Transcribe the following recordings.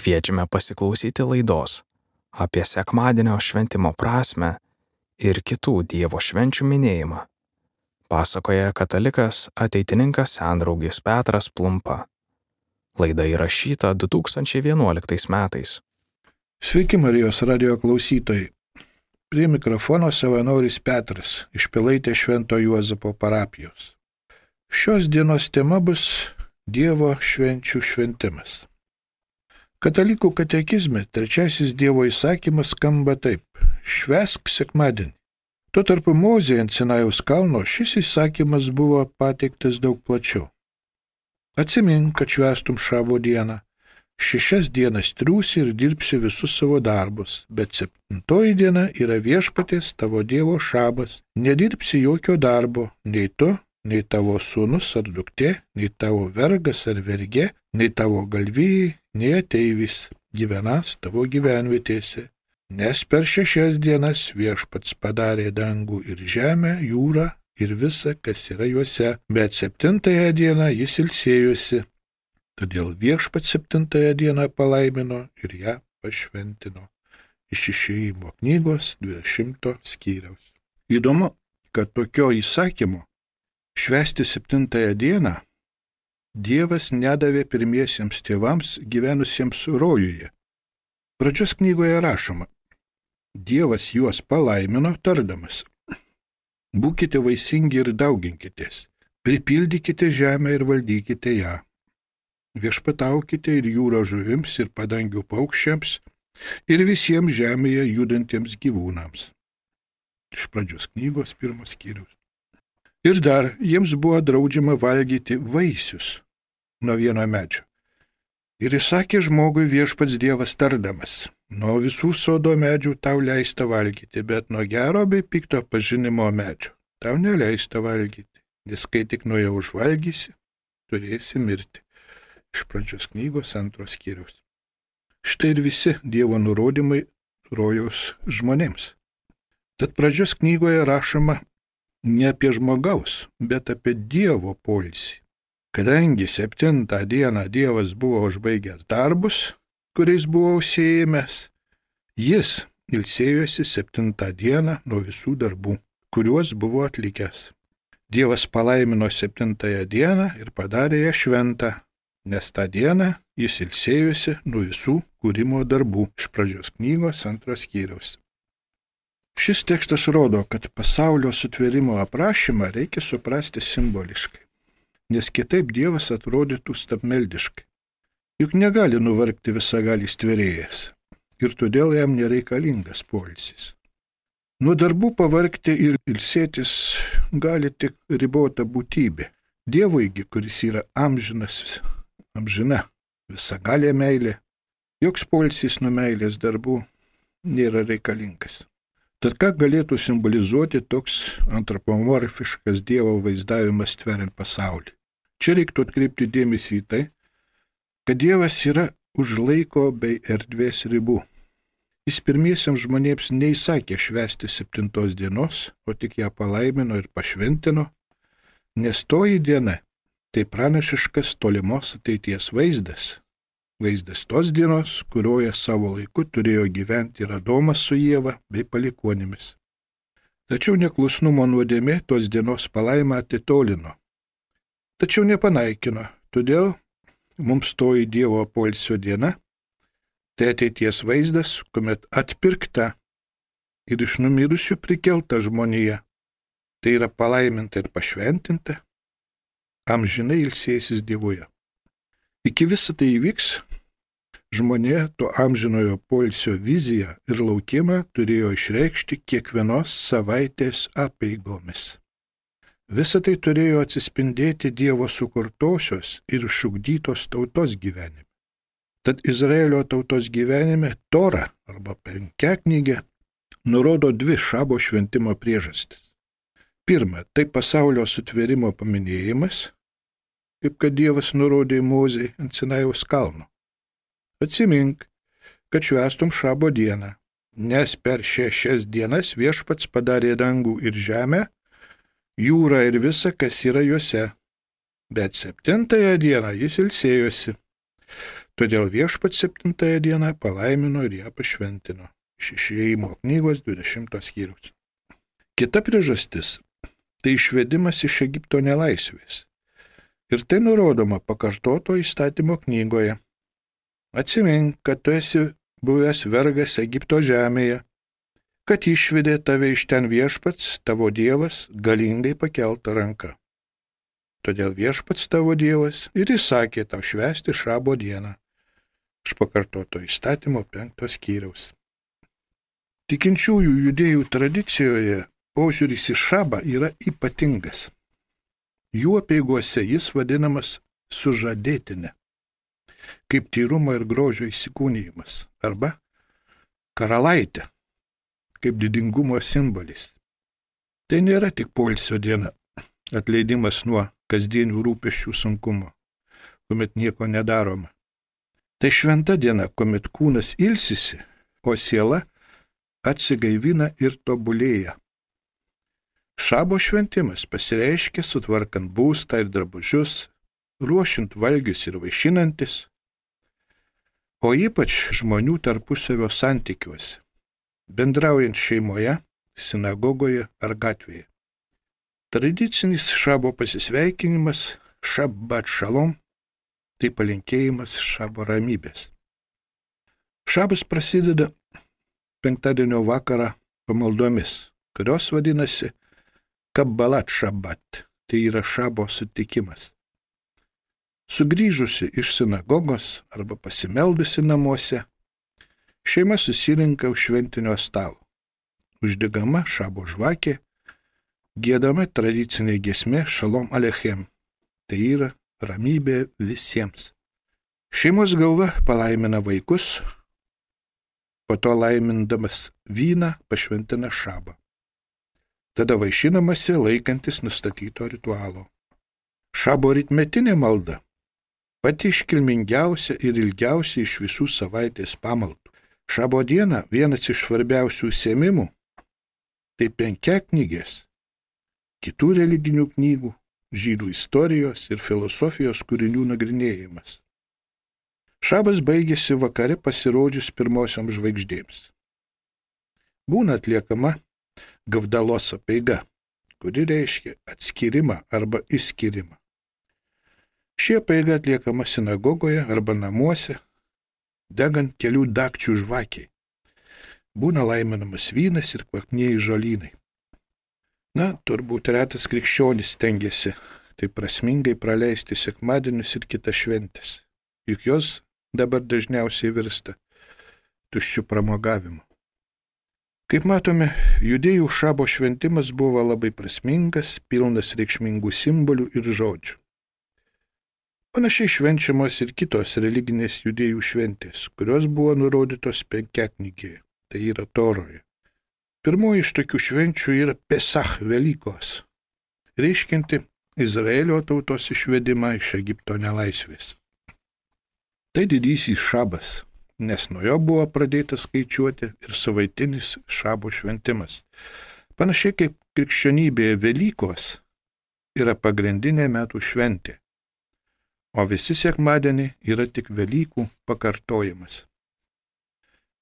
Kviečiame pasiklausyti laidos apie sekmadienio šventimo prasmę ir kitų Dievo švenčių minėjimą. Pasakoja katalikas ateitininkas sendraugis Petras Plumpa. Laida įrašyta 2011 metais. Sveiki Marijos radijo klausytojai. Prie mikrofono savanoris Petras iš Pilaitės Švento Juozapo parapijos. Šios dienos tema bus Dievo švenčių šventimas. Katalikų katekizme trečiasis Dievo įsakymas skamba taip: švęsk sekmadienį. Tuo tarpu Mozei ant Sinajaus kalno šis įsakymas buvo pateiktas daug plačiau. Atsimink, kad švęstum šabo dieną. 6 dienas triūsi ir dirbsi visus savo darbus, bet 7 diena yra viešpaties tavo Dievo šabas. Nedirbsi jokio darbo, nei tu, nei tavo sūnus ar duktė, nei tavo vergas ar vergė, nei tavo galvijai, nei ateivis gyvenas tavo gyvenvietėse. Nes per 6 dienas viešpats padarė dangų ir žemę, jūrą ir visa, kas yra juose, bet 7 dieną jis ilsėjosi. Todėl viešpats 7 dieną palaimino ir ją pašventino. Iš Išėjimo knygos 20 skyriaus. Įdomu, kad tokio įsakymo švęsti 7 dieną Dievas nedavė pirmiesiems tėvams gyvenusiems rojuje. Pradžios knygoje rašoma: Dievas juos palaimino tardamas: būkite vaisingi ir dauginkitės, pripildykite žemę ir valdykite ją. Viešpataukite ir jūros žuvims ir padangių paukščiams ir visiems žemėje judantiems gyvūnams. Iš Pradžios knygos 1 skyrius. Ir dar jiems buvo draudžiama valgyti vaisius nuo vieno medžio. Ir įsakė žmogui viešpats Dievas tardamas: nuo visų sodo medžių tau leista valgyti, bet nuo gero bei pikto pažinimo medžio tau neleista valgyti, nes kai tik nuo jo užvalgysi, turėsi mirti. Iš Pradžios knygos 2 skyriaus. Štai ir visi Dievo nurodymai rojaus žmonėms. Tad Pradžios knygoje rašoma ne apie žmogaus, bet apie Dievo poilsį. Kadangi 7 dieną Dievas buvo užbaigęs darbus, kuriais buvo užsiėmęs, jis ilsėjosi 7 dieną nuo visų darbų, kuriuos buvo atlikęs. Dievas palaimino 7 dieną ir padarė ją šventą, nes tą dieną jis ilsėjosi nuo visų kūrimo darbų. Iš Pradžios knygos 2 skyriaus. Šis tekstas rodo, kad pasaulio sutvėrimo aprašymą reikia suprasti simboliškai, nes kitaip Dievas atrodytų stabmeldiškai. Juk negali nuvargti visagalis tvėrėjas ir todėl jam nereikalingas poilsis. Nuo darbų pavargti ir ilsėtis gali tik ribota būtybė. Dievuigi, kuris yra amžina, visagalė meilė, joks poilsis nuo meilės darbų nėra reikalingas. Tad ką galėtų simbolizuoti toks antropomorfiškas Dievo vaizdavimas tveriant pasaulį? Čia reiktų atkreipti dėmesį į tai, kad Dievas yra už laiko bei erdvės ribų. Jis pirmiesiams žmonėms neįsakė švęsti 7 dienos, o tik ją palaimino ir pašventino, nes toji diena tai pranašiškas tolimos ateities vaizdas tos dienos, kurioje savo laiku turėjo gyventi ir Adomas su Ieva bei palikuonimis. Tačiau neklusnumo nuodėmė tos dienos palaimą atitolino. Tačiau nepanaikino, todėl mums toji Dievo poilsio diena tai ateities vaizdas, kuomet atpirkta ir iš numirusių prikelta žmonija, tai yra palaiminta ir pašventinta, amžinai ilsėsis Dievuje. Iki visa tai įvyks, žmonė to amžinojo poilsio viziją ir laukimą turėjo išreikšti kiekvienos savaitės apeigomis. Visa tai turėjo atsispindėti Dievo sukurtosios ir išugdytos tautos gyvenime. Tad Izraelio tautos gyvenime Tora arba Penkiaknygė nurodo 2 šabo šventimo priežastis. Pirma, tai pasaulio sutvėrimo paminėjimas, kaip kad Dievas nurodė Mozei ant Sinajaus kalno. Atsimink, kad švęstum šabo dieną, nes per 6 dienas viešpats padarė dangų ir žemę, jūrą ir visa, kas yra juose. Bet 7 dieną jis ilsėjosi. Todėl Viešpats 7 dieną palaimino ir ją pašventino. Iš Išėjimo knygos 20 skyriaus. Kita priežastis – tai išvedimas iš Egipto nelaisvės. Ir tai nurodoma pakartoto įstatymo knygoje. Atsimink, kad tu esi buvęs vergas Egipto žemėje, kad išvedė tave iš ten Viešpats, tavo Dievas, galingai pakelta ranka. Todėl Viešpats tavo Dievas ir įsakė tau švęsti Šabo dieną. Iš pakartoto įstatymo 5 skyriaus. Tikinčiųjų judėjų tradicijoje požiūris į Šabą yra ypatingas. Jų apeigose jis vadinamas sužadėtine, kaip tyrumo ir grožio įsikūnijimas, arba karalaitė, kaip didingumo simbolis. Tai nėra tik poilsio diena, atleidimas nuo kasdienių rūpesčių sunkumo, kuomet nieko nedaroma. Tai šventa diena, kuomet kūnas ilsisi, o siela atsigaivina ir tobulėja. Šabo šventimas pasireiškia sutvarkant būstą ir drabužius, ruošiant valgius ir vaišinantis, o ypač žmonių tarpusavio santykiuose, bendraujant šeimoje, sinagogoje ar gatvėje. Tradicinis Šabo pasisveikinimas Šabbat šalom, tai palinkėjimas Šabo ramybės. Šabas prasideda penktadienio vakarą pamaldomis, kurios vadinasi Kabbalat Šabbat, tai yra Šabo sutikimas. Sugrįžusi iš sinagogos arba pasimeldusi namuose, šeima susirinka už šventinio stalo. Uždegama Šabo žvakė, giedama tradicinė giesmė Šalom Alechem, tai yra ramybė visiems. Šeimos galva palaimina vaikus, po to laimindamas vyną pašventina Šabą. Tada vaišinamasi laikantis nustatyto ritualo. Šabo rytmetinė malda pati iškilmingiausia ir ilgiausia iš visų savaitės pamaldų. Šabo diena vienas iš svarbiausių užsiėmimų – tai penkiaknygės, kitų religinių knygų, žydų istorijos ir filosofijos kūrinių nagrinėjimas. Šabas baigėsi vakare pasirodžius pirmosioms žvaigždėms. Būna atliekama Gavdalos apeiga, kuri reiškia atskyrimą arba išskyrimą. Ši apeiga atliekama sinagogoje arba namuose, degant kelių dakčių žvakiai. Būna laiminamas vynas ir kvapnieji žolynai. Turbūt retas krikščionis stengiasi taip prasmingai praleisti sekmadienius ir kitas šventes, juk jos dabar dažniausiai virsta tuščiu pramogavimu. Kaip matome, judėjų Šabo šventimas buvo labai prasmingas, pilnas reikšmingų simbolių ir žodžių. Panašiai švenčiamos ir kitos religinės judėjų šventės, kurios buvo nurodytos penkiaknygėje, tai yra Toroje. Pirmoji iš tokių švenčių yra Pesach Velykos, reiškianti Izraelio tautos išvedimą iš Egipto nelaisvės. Tai didysis Šabas, nes nuo jo buvo pradėta skaičiuoti ir savaitinis Šabo šventimas. Panašiai kaip krikščionybėje Velykos yra pagrindinė metų šventė, o visi sekmadieniai yra tik Velykų pakartojimas.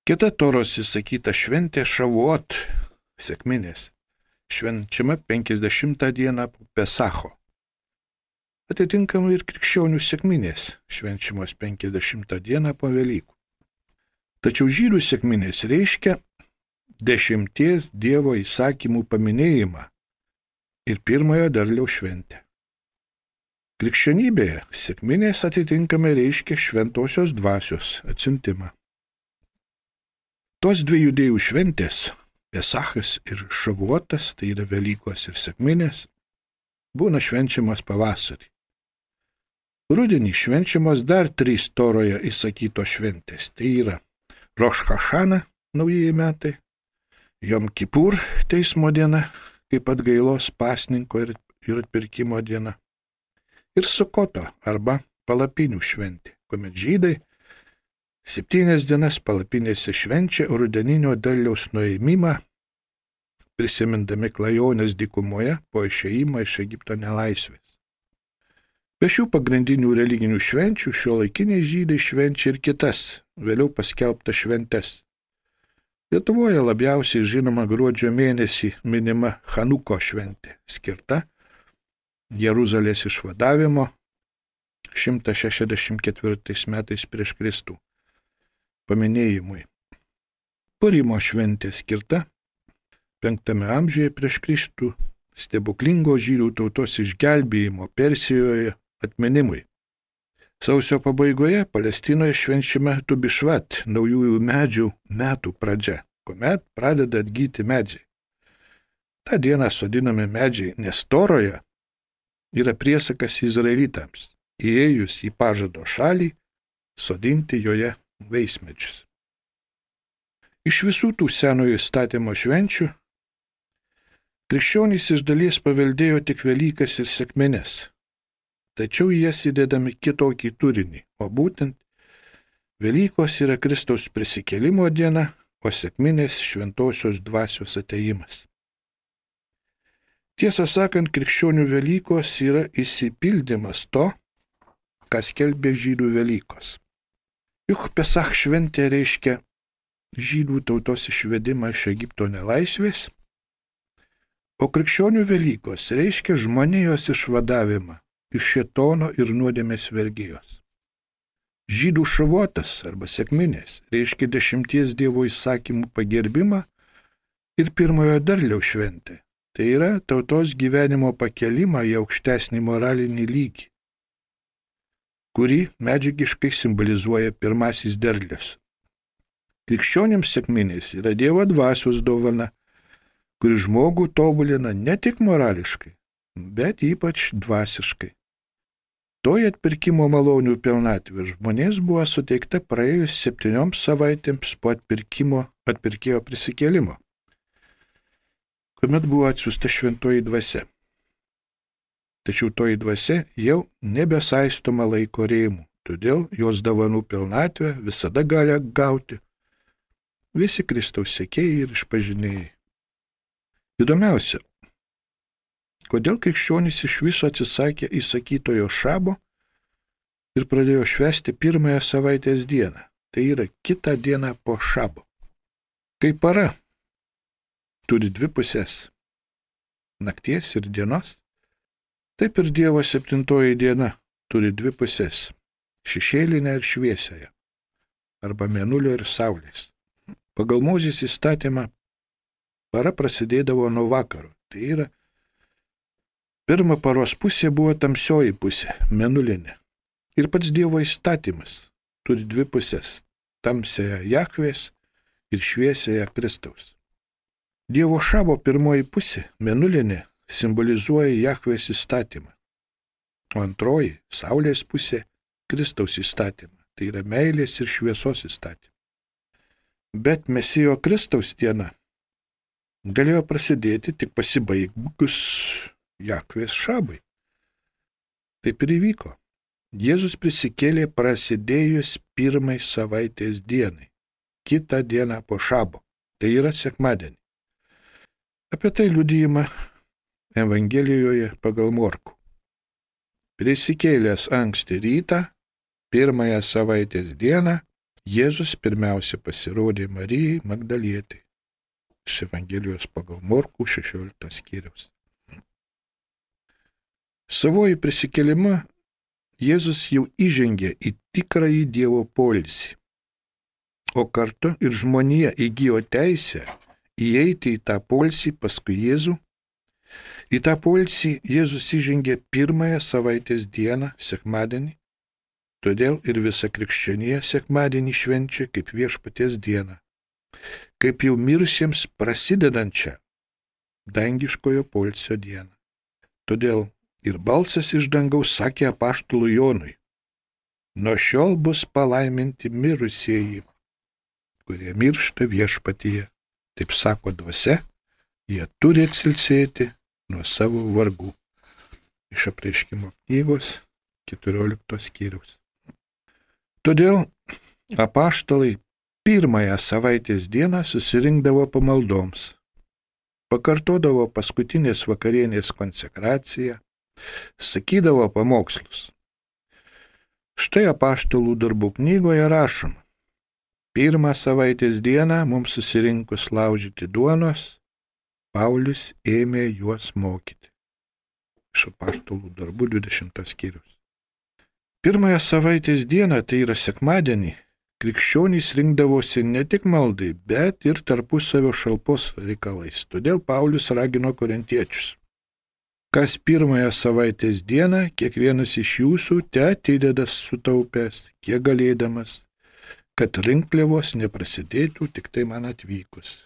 Kita Toros įsakyta šventė Šavuot, sekminės, švenčiama 50 dieną po Pesacho. Atitinkamai ir krikščionių sekminės, švenčiamos 50 dieną po Velykų. Tačiau žydų sekminės reiškia 10 Dievo įsakymų paminėjimą ir pirmojo derliaus šventę. Krikščionybėje sekminės atitinkamai reiškia šventosios dvasios atsiuntimą. Tos dvi judėjų šventės, Pesachas ir Šavuotas, tai yra Velykos ir sekminės, būna švenčiamas pavasarį. Rudenį švenčiamos dar 3 Toroje įsakytos šventės, tai yra Roš Hašana, naujieji metai, Jom Kipur, teismo diena, kaip atgailos pasninko ir atpirkimo diena, ir Sukoto arba palapinių šventė, kuomet žydai 7 dienas palapinėse švenčia rudeninio derliaus nuėmimą, prisimindami klajonės dykumoje po išėjimą iš Egipto nelaisvės. Be šių pagrindinių religinių švenčių šiuolaikiniai žydai švenčia ir kitas, vėliau paskelbtas šventes. Lietuvoje labiausiai žinoma gruodžio mėnesį minima Chanuko šventė, skirta Jeruzalės išvadavimo 164 metais prieš Kristų paminėjimui. Purimo šventė skirta 5 amžiuje prieš Kristų stebuklingo žydų tautos išgelbėjimo Persijoje atminimui. Sausio pabaigoje Palestinoje švenčiame Tubišvat, naujųjų medžių metų pradžia, kuomet pradeda atgyti medžiai. Ta diena sodinami medžiai, nes Toroje yra priesakas izraelitams, įėjus į pažado šalį, sodinti joje vaismedžius. Iš visų tų senojo įstatymo švenčių krikščionys iš dalies paveldėjo tik Velykas ir sekmines, tačiau į jas įdedami kitokį turinį, o būtent Velykos yra Kristaus prisikėlimo diena, o sekminės šventosios dvasios atėjimas. Tiesą sakant, krikščionių Velykos yra išsipildymas to, kas skelbė žydų Velykos. Juk Pesach šventė reiškia žydų tautos išvedimą iš Egipto nelaisvės, o krikščionių Velykos reiškia žmonijos išvadavimą iš šėtono ir nuodėmės vergijos. Žydų šavotas arba sekminės reiškia 10 Dievo įsakymų pagerbimą ir pirmojo derliaus šventė. Tai yra tautos gyvenimo pakelimą į aukštesnį moralinį lygį, kurį medžiagiškai simbolizuoja pirmasis derlius. Krikščionims sekminės yra Dievo dvasios dovana, kuri žmogų tobulina ne tik morališkai, bet ypač dvasiškai. Toji atpirkimo malonių pilnatvė žmonės buvo suteikta praėjus 7 savaitėms po atpirkėjo prisikėlimo, kuomet buvo atsiųsta šventoji dvasia. Tačiau toji dvasia jau nebesaistoma laiko rėmų, todėl jos dovanų pilnatvę visada gali gauti visi Kristaus sekėjai ir išpažinėjai. Įdomiausia, kodėl krikščionys iš viso atsisakė įsakytojo šabo ir pradėjo švęsti pirmąją savaitės dieną, tai yra kitą dieną po šabo. Kai para turi 2 pusės, nakties ir dienos, taip ir Dievo 7 diena turi 2 pusės, šešėlinę ir šviesiąją, arba mėnulio ir saulės. Pagal Mozės įstatymą para prasidėdavo nuo vakaro, tai yra pirma paros pusė buvo tamsioji pusė, mėnulinė. Ir pats Dievo įstatymas turi 2 pusės, tamsiąją Jahvės ir šviesiąją Kristaus. Dievo šabo pirmoji pusė, mėnulinė, simbolizuoja Jahvės įstatymą, o antroji, saulės pusė, Kristaus įstatymą, tai yra meilės ir šviesos įstatymą. Bet Mesijo Kristaus diena galėjo prasidėti tik pasibaigus Jahvės šabai. Taip ir įvyko. Jėzus prisikėlė prasidėjus pirmai savaitės dienai, kitą dieną po šabo, tai yra sekmadienį. Apie tai liudijama Evangelijoje pagal Morkų. Prisikėlęs anksti rytą, pirmąją savaitės dieną, Jėzus pirmiausia pasirodė Marijai Magdalietei. Iš Evangelijos pagal Morkų 16 skyriaus. Savoji prisikėlimą Jėzus jau įžengė į tikrąjį Dievo poilsį, o kartu ir žmonija įgijo teisę įeiti į tą poilsį paskui Jėzų. Į tą poilsį Jėzus įžengė pirmąją savaitės dieną, sekmadienį, todėl ir visa krikščionija sekmadienį švenčia kaip Viešpaties dieną, kaip jau mirusiems prasidedančią dangiškojo poilsio dieną. Todėl ir balsas iš dangaus sakė apaštalui Jonui: nuo šiol bus palaiminti mirusieji, kurie miršta Viešpatyje. Taip sako dvasia, jie turi atsilsėti nuo savo vargų. Iš Apreiškimo knygos 14 skyriaus. Todėl apaštalai pirmąją savaitės dieną susirinkdavo pamaldoms, pakartodavo paskutinės vakarienės konsekraciją, sakydavo pamokslus. Štai apaštalų darbų knygoje rašoma. Pirmą savaitės dieną mums susirinkus laužyti duonos, Paulius ėmė juos mokyti. Iš apaštalų darbų 20 skyrius. Pirmąją savaitės dieną, tai yra sekmadienį, krikščionys rinkdavosi ne tik maldai, bet ir tarpusavio šalpos reikalais. Todėl Paulius ragino korintiečius. Kas pirmąją savaitės dieną, kiekvienas iš jūsų te atideda sutaupęs, kiek galėdamas, kad rinkliavos neprasidėtų tik tai man atvykus.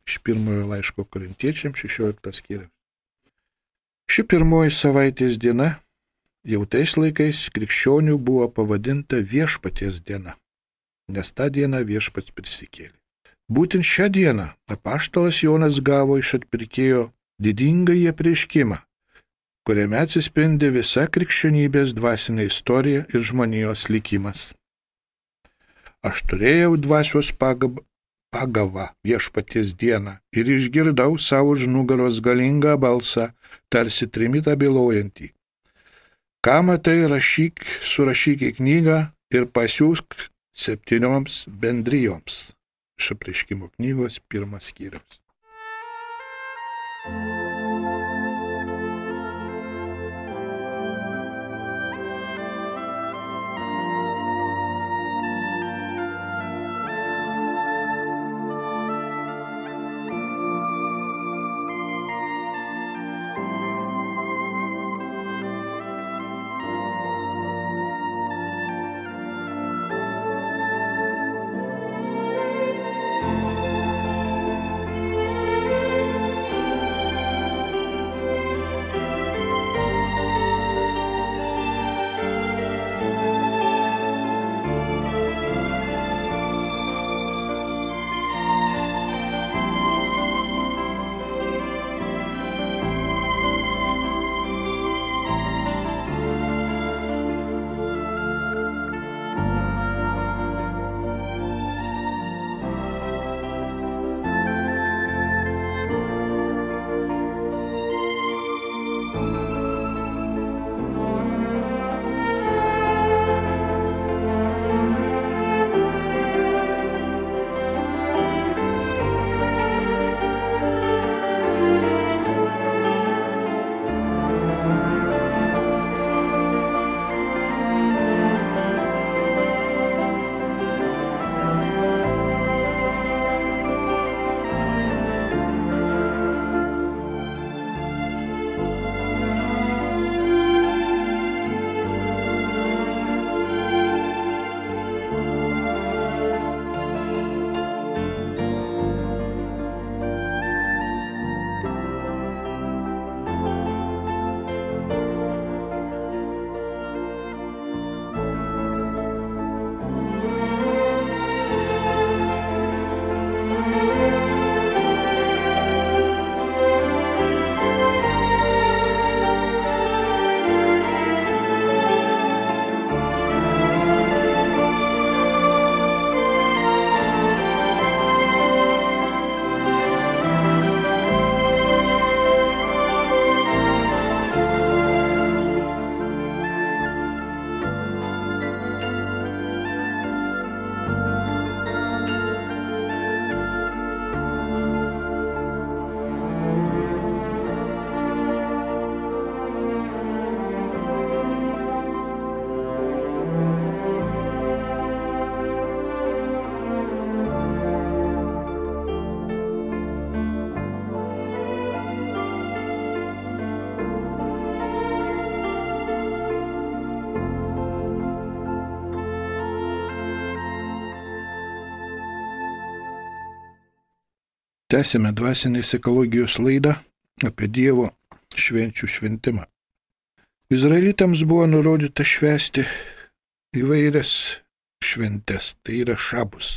Iš pirmojo laiško korintiečiams 16 skyrius. Ši pirmoji savaitės diena jau tais laikais krikščionių buvo pavadinta viešpaties diena, nes tą dieną viešpats prisikėlė. Būtent šią dieną apaštalas Jonas gavo iš atpirkėjo didingąjį apreiškimą, kuriame atsispindi visa krikščionybės dvasinė istorija ir žmonijos likimas. Aš turėjau dvasios pagavą viešpaties dieną ir išgirdau savo už nugaros galingą balsą, tarsi trimitą bylojantį. Ką matai, surašyk į knygą ir pasiųsk 7 bendrijoms. Iš apreiškimo knygos 1 skyrius. Tęsime dvasinės ekologijos laidą apie Dievo švenčių šventimą. Izraelitams buvo nurodyta švęsti įvairias šventes, tai yra šabus,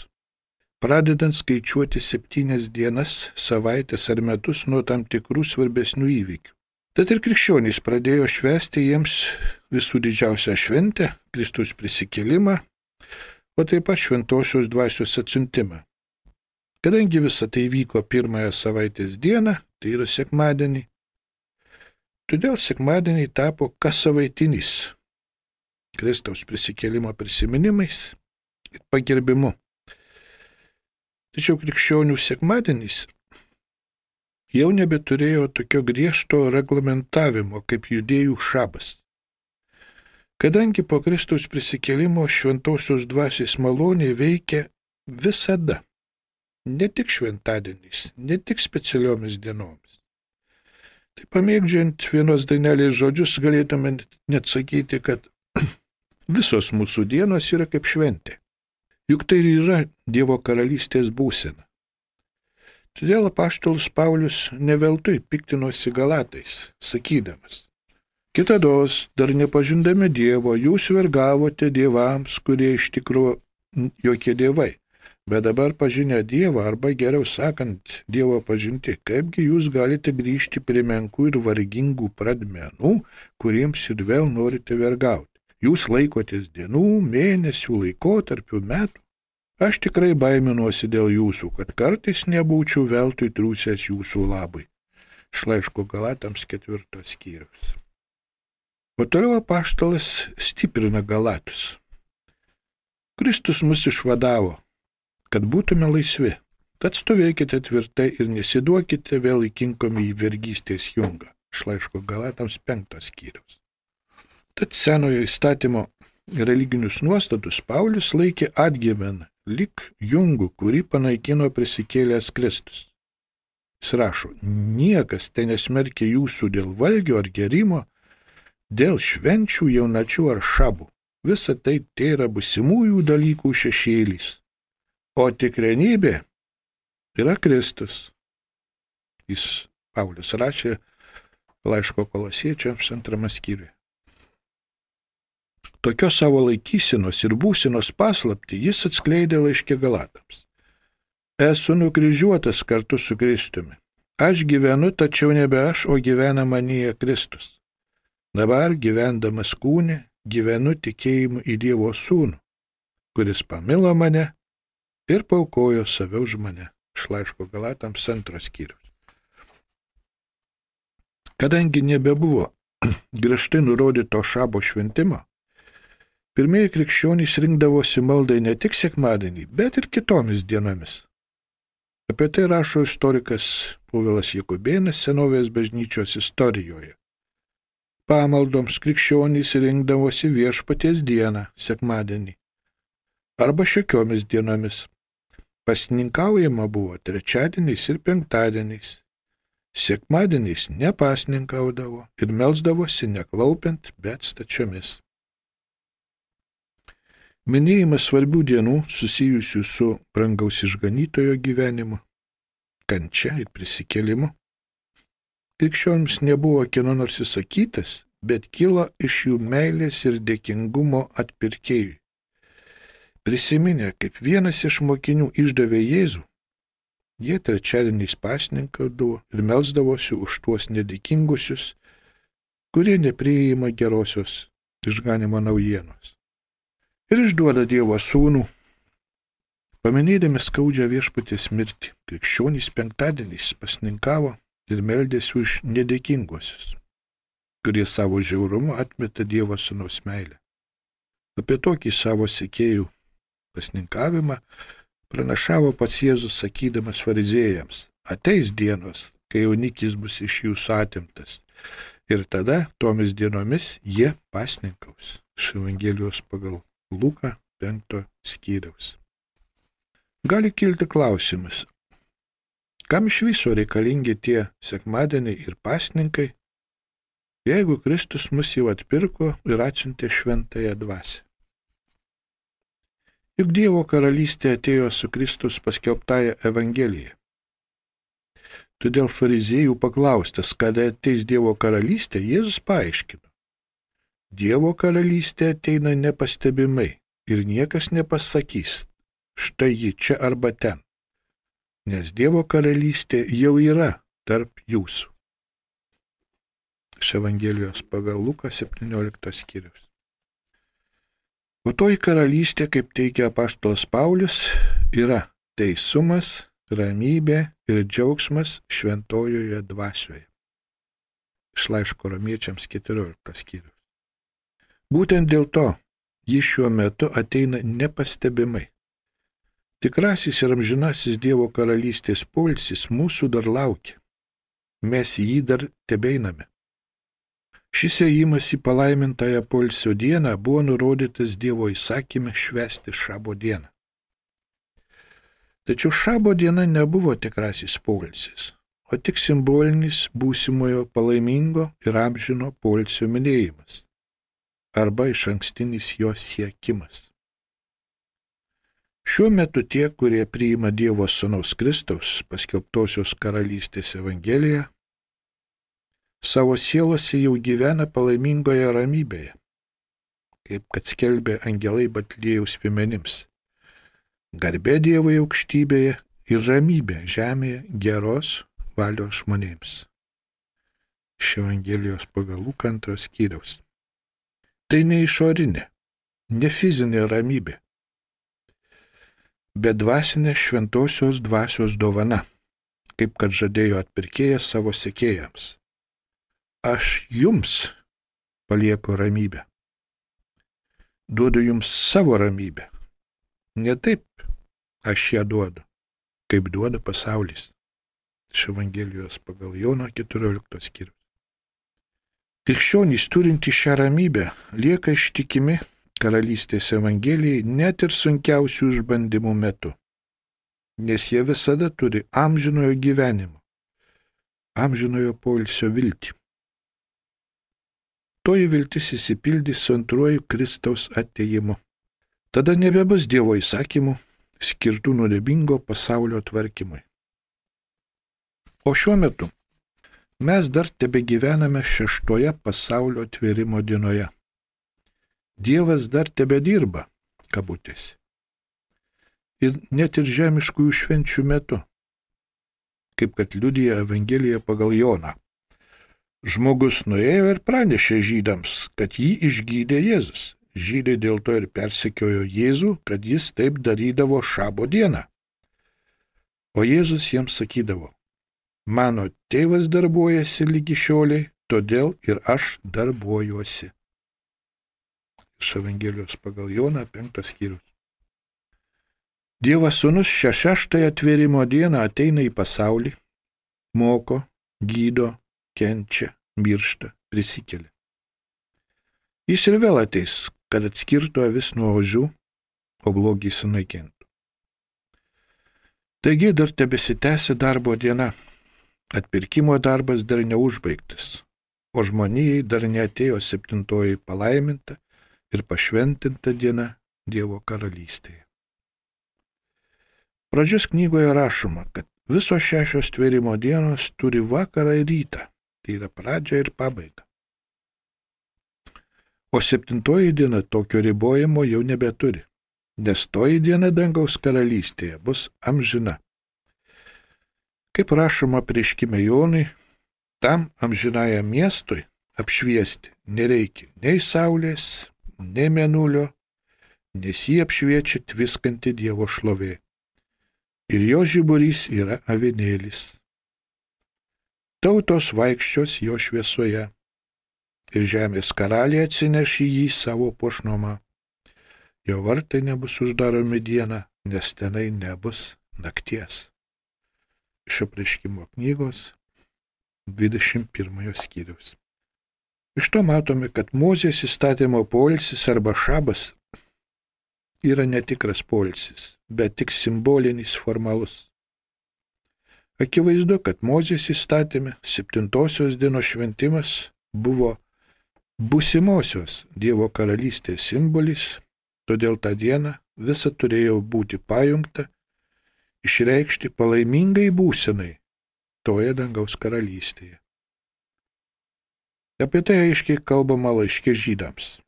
pradedant skaičiuoti 7 dienas, savaitės ar metus nuo tam tikrų svarbesnių įvykių. Tad ir krikščionys pradėjo švęsti jiems visų didžiausią šventę, Kristaus prisikėlimą, o taip pat šventosios dvasios atsiuntimą. Kadangi visa tai vyko pirmąją savaitės dieną, tai yra sekmadienį, Todėl sekmadieniai tapo kassavaitiniais Kristaus prisikėlimo prisiminimais ir pagerbimu. Tačiau krikščionių sekmadienis jau nebeturėjo tokio griežto reglamentavimo kaip judėjų šabas. Kadangi po Kristaus prisikėlimo šventosios dvasios malonė veikia visada, ne tik šventadieniais, ne tik specialiomis dienomis. Tai pamėgdžiant vienos dainelės žodžius galėtume net sakyti, kad visos mūsų dienos yra kaip šventė. Juk tai ir yra Dievo karalystės būsena. Todėl apaštalas Paulius neveltui piktinosi Galatais, sakydamas: Kitados, dar nepažindami Dievo, jūs vergavote dievams, kurie iš tikrųjų jokie dievai, bet dabar pažinę Dievą, arba geriau sakant, Dievo pažinti, kaipgi jūs galite grįžti prie menkų ir vargingų pradmenų, kuriems ir vėl norite vergauti. Jūs laikotės dienų, mėnesių, laikotarpių, metų. Aš tikrai baiminuosi dėl jūsų, kad kartais nebūčiau veltui triūsęs jūsų labui. Iš laiško Galatams 4 skyriaus. O toliau apaštalas stiprina Galatus. Kristus mus išvadavo, kad būtume laisvi. Tad stovėkite tvirtai ir nesiduokite vėl įkinkomi į vergystės jungą. Iš laiško Galatams 5 skyriaus. Tad senojo įstatymo religinius nuostatus Paulius laikė atgyvena, lyg jungų, kurį panaikino prisikėlęs Kristus. Jis rašo: niekas te nesmerkia jūsų dėl valgio ar gerimo, dėl švenčių, jaunačių ar šabų. Visa tai yra būsimųjų dalykų šešėlis. O tikrenybė yra Kristus. Jis Paulius rašė laiško Kolosiečiams 2 skyriuje. Tokios savo laikysenos ir būsenos paslaptį jis atskleidė laiške Galatams. Esu nukryžiuotas kartu su Kristumi. Aš gyvenu, tačiau nebe aš, o gyvena manyje Kristus. Dabar gyvendamas kūne, gyvenu tikėjimu į Dievo Sūnų, kuris pamilo mane ir paaukojo save už mane. Iš laiško Galatams 2 skyrius. Kadangi nebebuvo griežtai nurodyto šabo šventimo, pirmieji krikščionys rinkdavosi maldai ne tik sekmadienį, bet ir kitomis dienomis. Apie tai rašo istorikas Povilas Jakubėnas senovės bažnyčios istorijoje. Pamaldoms krikščionys rinkdavosi Viešpaties dieną, sekmadienį, arba šiokiomis dienomis. Pasninkaujama buvo trečiadieniais ir penktadieniais. Sekmadieniais nepasninkaudavo ir melsdavosi neklaupiant, bet stačiomis. Minėjimas svarbių dienų susijusių su brangaus išganytojo gyvenimu, kančia ir prisikėlimu krikščionims nebuvo kieno nors įsakytas, bet kilo iš jų meilės ir dėkingumo atpirkėjui. Prisiminę, kaip vienas iš mokinių išdavė Jėzų, jie trečiadieniais pasninkaudavo ir melsdavosi už tuos nedėkingusius, kurie nepriima gerosios išganymo naujienos. Ir išduoda Dievo Sūnų. Paminėdami skaudžią Viešpaties mirtį, krikščionys penktadieniais pasninkavo ir meldėsi už nedėkinguosius, kurie savo žiaurumu atmeta Dievo Sūnaus meilę. Apie tokį savo sekėjų pasninkavimą pranašavo pats Jėzus sakydamas fariziejams: ateis dienos, kai jaunikis bus iš jūsų atimtas, ir tada tomis dienomis jie pasninkaus. Iš Evangelijos pagal Luką 5 skyriaus. Gali kilti klausimas, kam iš viso reikalingi tie sekmadieniai ir pasninkai, jeigu Kristus mus jau atpirko ir atsiuntė šventąją dvasią. Juk Dievo karalystė atėjo su Kristus paskelbtąja Evangelija. Todėl fariziejų paklaustas, kada ateis Dievo karalystė, Jėzus paaiškino: Dievo karalystė ateina nepastebimai ir niekas nepasakys, štai ji čia arba ten, nes Dievo karalystė jau yra tarp jūsų. Iš Evangelijos pagal Luką 17 skyrius. O toji karalystė, kaip teigia apaštalas Paulius, yra teisumas, ramybė ir džiaugsmas šventojoje dvasioje. iš laiško Romiečiams 14 skyrius. Būtent dėl to jis šiuo metu ateina nepastebimai. Tikrasis ir amžinasis Dievo karalystės poilsis mūsų dar laukia. Mes į jį dar tebeiname. Šis ėjimas į palaimintąją poilsio dieną buvo nurodytas Dievo įsakyme švęsti šabo dieną. Tačiau šabo diena nebuvo tikrasis poilsis, o tik simbolinis būsimojo palaimingo ir amžino poilsio minėjimas arba išankstinis jo siekimas. Šiuo metu tie, kurie priima Dievo Sūnaus Kristaus paskelbtosios karalystės evangeliją, savo sielose jau gyvena palaimingoje ramybėje, kaip kad skelbė angelai Betliejaus piemenims. Garbė Dievui aukštybėje ir ramybė žemėje geros valios žmonėms. Iš Evangelijos pagal Luką 2 skyriaus. Tai ne išorinė, ne fizinė ramybė, bet dvasinė šventosios dvasios dovana, kaip kad žadėjo atpirkėjas savo sekėjams. Aš jums palieku ramybę. Duodu jums savo ramybę. Ne taip aš ją duodu, kaip duoda pasaulis. Iš Evangelijos pagal Jono 14 skyrius. Krikščionys turinti šią ramybę lieka ištikimi karalystės evangelijai net ir sunkiausių išbandymų metu, nes jie visada turi amžinojo gyvenimo, amžinojo poilsio viltį. Toji viltis įsipildys su antruoju Kristaus atėjimu. Tada nebebus Dievo įsakymų skirtų nuodėmingo pasaulio tvarkymui. O šiuo metu mes dar tebegyvename šeštoje pasaulio tvėrimo dienoje. Dievas dar tebedirba, kabutėse. Ir net ir žemiškųjų švenčių metu, kaip kad liudija Evangelija pagal Joną. Žmogus nuėjo ir pranešė žydams, kad jį išgydė Jėzus. Žydai dėl to ir persekiojo Jėzų, kad jis taip darydavo šabo dieną. O Jėzus jiems sakydavo, mano tėvas darbuojasi lygi šioliai, todėl ir aš darbuojuosi. Iš Evangelijos pagal Joną 5 skyrius. Dievas Sūnus šią šeštąją atvėrimo dieną ateina į pasaulį, moko, gydo, kenčia, miršta, prisikelia. Jis ir vėl ateis, kad atskirtų avis nuo ožių, o blogį sunaikintų. Taigi dar tebesitęsia darbo diena. Atpirkimo darbas dar neužbaigtas, o žmonijai dar neatėjo 7 palaiminta ir pašventinta diena Dievo karalystėje. Pradžios knygoje rašoma, kad visos 6 tvėrimo dienos turi vakarą ir rytą, tai yra pradžia ir pabaiga. O 7 diena tokio ribojimo jau nebeturi, nes toji diena dangaus karalystėje bus amžina. Kaip rašoma apreiškime Jonui, tam amžinajam miestui apšviesti nereikia nei saulės, nei mėnulio, nes jį apšviečia tviskanti Dievo šlovė. Ir jo žiburys yra avinėlis. Tautos vaikščios jo šviesoje. Ir žemės karaliai atsineš į jį savo puošnumą. Jo vartai nebus uždaromi dieną, nes tenai nebus nakties. Iš apreiškimo knygos 21 skyriaus. Iš to matome, kad Mozės įstatymo poilsis arba šabas yra netikras poilsis, bet tik simbolinis formalus. Akivaizdu, kad Mozės įstatyme 7 dienos šventimas buvo būsimosios Dievo karalystės simbolis, todėl tą dieną visa turėjo būti pajungta, išreikšti palaimingai būsenai toje dangaus karalystėje. Apie tai aiškiai kalbama laiške žydams.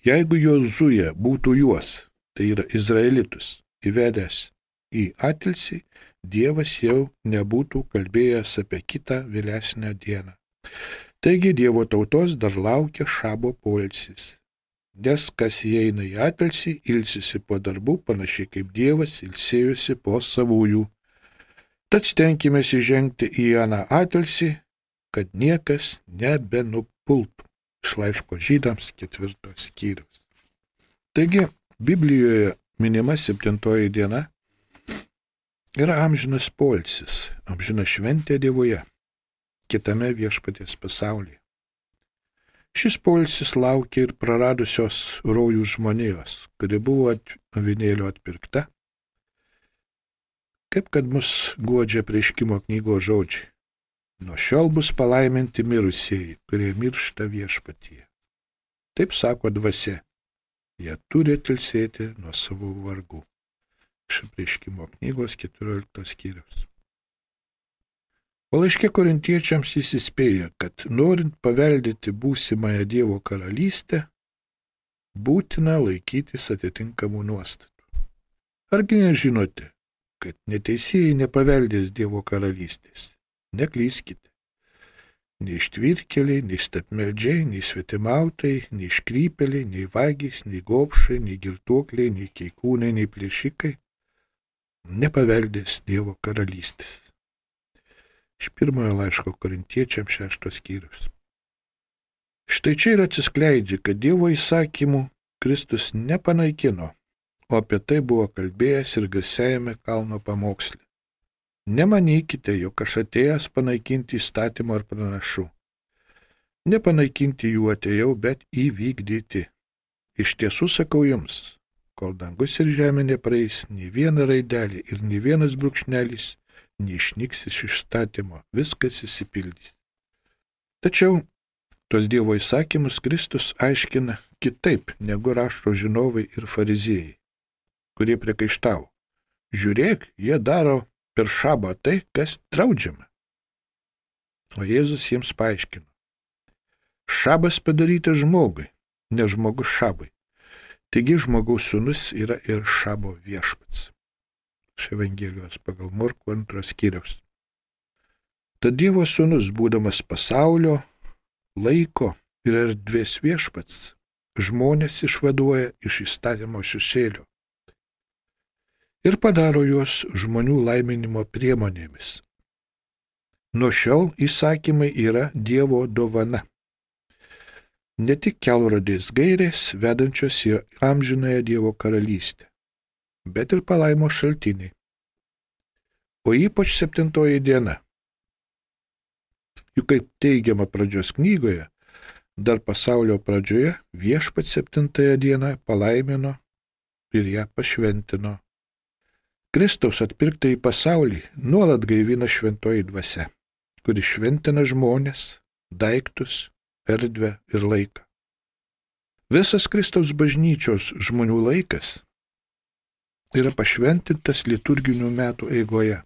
Jeigu Jozuė būtų juos, tai yra izraelitus, įvedęs į atilsį, Dievas jau nebūtų kalbėjęs apie kitą vėlesnę dieną. Taigi Dievo tautos dar laukia šabo poilsis, nes kas įeina į atilsį, ilsisi po darbų, panašiai kaip Dievas ilsėjusi po savųjų. Tad stenkimės įžengti į aną atilsį, kad niekas nebenupultų. Iš laiško Žydams 4 skyrius. Taigi, Biblijoje minima 7 diena yra amžinas poilsis, amžina šventė Dievoje, kitame viešpaties pasaulyje. Šis poilsis laukia ir praradusios rojų žmonijos, kuri buvo avinėlio atpirkta, kaip kad mus guodžia Apreiškimo knygos žodžiai. Nuo šiol bus palaiminti mirusieji, kurie miršta viešpatyje. Taip sako dvasia, jie turi ilsėti nuo savo vargų. Iš Apreiškimo knygos 14 skyrius. O laiške korintiečiams jis įspėja, kad norint paveldėti būsimąją Dievo karalystę, būtina laikytis atitinkamų nuostatų. Argi nežinote, kad neteisėjai nepaveldės Dievo karalystės? Neklyskite. Nei ištvirkeliai, nei statmeldžiai, nei svetimautai, nei iškrypeliai, nei vagys, nei gobšai, nei girtuokliai, nei keikūnai, nei plėšikai nepaveldės Dievo karalystės. Iš 1 laiško korintiečiams 6 skyrius. Štai čia ir atsiskleidžia, kad Dievo įsakymų Kristus nepanaikino, o apie tai buvo kalbėjęs ir garsiajame kalno pamoksle. Nemanykite, jog aš atėjęs panaikinti įstatymą ar pranašų. Nepanaikinti jų atėjau, bet įvykdyti. Iš tiesų sakau jums, kol dangus ir žemė nepraeis, nei viena raidelė ir nei vienas brūkšnelis neišnyks iš įstatymo, viskas įsipildys. Tačiau tuos Dievo įsakymus Kristus aiškina kitaip negu rašto žinovai ir fariziejai, kurie priekaištavo. Žiūrėk, jie daro per šabą tai, kas draudžiama. O Jėzus jiems paaiškino. Šabas padarytas žmogui, ne žmogus šabui. Taigi žmogaus sūnus yra ir šabo viešpats. Iš Evangelijos pagal Morkų 2 skyriaus. Tad Dievo sūnus, būdamas pasaulio, laiko ir erdvės viešpats, žmonės išvaduoja iš įstatymo šešėlio ir padaro juos žmonių laiminimo priemonėmis. Nuo šiol įsakymai yra Dievo dovana. Ne tik kelrodės gairės, vedančios į amžinąją Dievo karalystę, bet ir palaimo šaltiniai. O ypač 7 diena. Juk kaip teigiama pradžios knygoje, dar pasaulio pradžioje viešpats 7 dieną palaimino ir ją pašventino. Kristaus atpirktą į pasaulį nuolat gaivina šventoji dvasia, kuri šventina žmonės, daiktus, erdvę ir laiką. Visas Kristaus bažnyčios žmonių laikas yra pašventintas liturginių metų eigoje.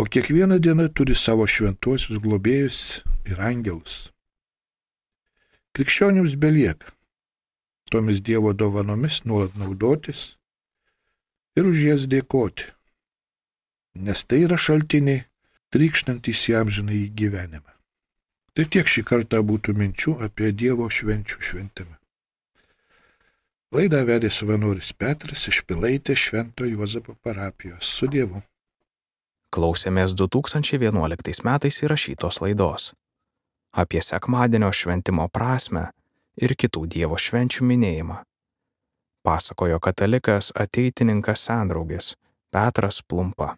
O kiekviena diena turi savo šventuosius globėjus ir angelus. Krikščionims belieka tomis Dievo dovanomis nuolat naudotis ir už jas dėkoti, nes tai yra šaltiniai trykštantys į amžinąjį gyvenimą. Tai tiek šį kartą būtų minčių apie Dievo švenčių šventimą. Laidą vedė savanoris Petras iš Pilaitės Švento Juozapo parapijos. Su Dievu. Klausėmės 2011 metais įrašytos laidos apie sekmadienio šventimo prasmę ir kitų Dievo švenčių minėjimą. Pasakojo katalikas ateitininkas sendraugis Petras Plumpa.